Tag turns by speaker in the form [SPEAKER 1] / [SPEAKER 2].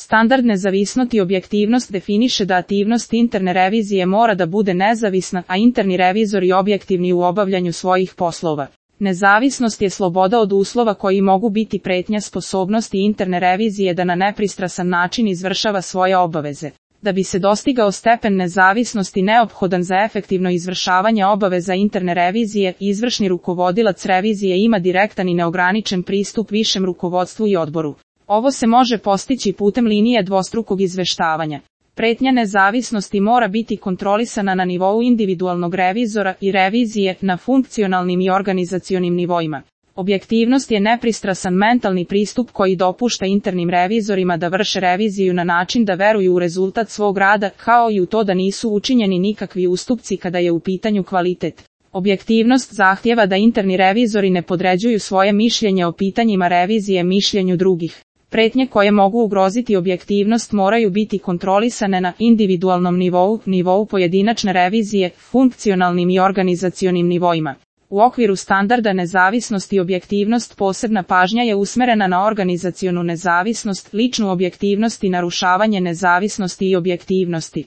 [SPEAKER 1] Standard nezavisnost i objektivnost definiše da aktivnost interne revizije mora da bude nezavisna, a interni revizori objektivni u obavljanju svojih poslova. Nezavisnost je sloboda od uslova koji mogu biti pretnja sposobnosti interne revizije da na nepristrasan način izvršava svoje obaveze. Da bi se dostigao stepen nezavisnosti neophodan za efektivno izvršavanje obaveza interne revizije, izvršni rukovodilac revizije ima direktan i neograničen pristup višem rukovodstvu i odboru. Ovo se može postići putem linije dvostrukog izveštavanja. Pretnja nezavisnosti mora biti kontrolisana na nivou individualnog revizora i revizije na funkcionalnim i organizacionim nivoima. Objektivnost je nepristrasan mentalni pristup koji dopušta internim revizorima da vrše reviziju na način da veruju u rezultat svog rada, kao i u to da nisu učinjeni nikakvi ustupci kada je u pitanju kvalitet. Objektivnost zahtijeva da interni revizori ne podređuju svoje mišljenje o pitanjima revizije mišljenju drugih. Pretnje koje mogu ugroziti objektivnost moraju biti kontrolisane na individualnom nivou pojedinačne revizije, funkcionalnim i organizacionim nivoima. U okviru standarda nezavisnost i objektivnost posebna pažnja je usmerena na organizacionu nezavisnost, ličnu objektivnost i narušavanje nezavisnosti i objektivnosti.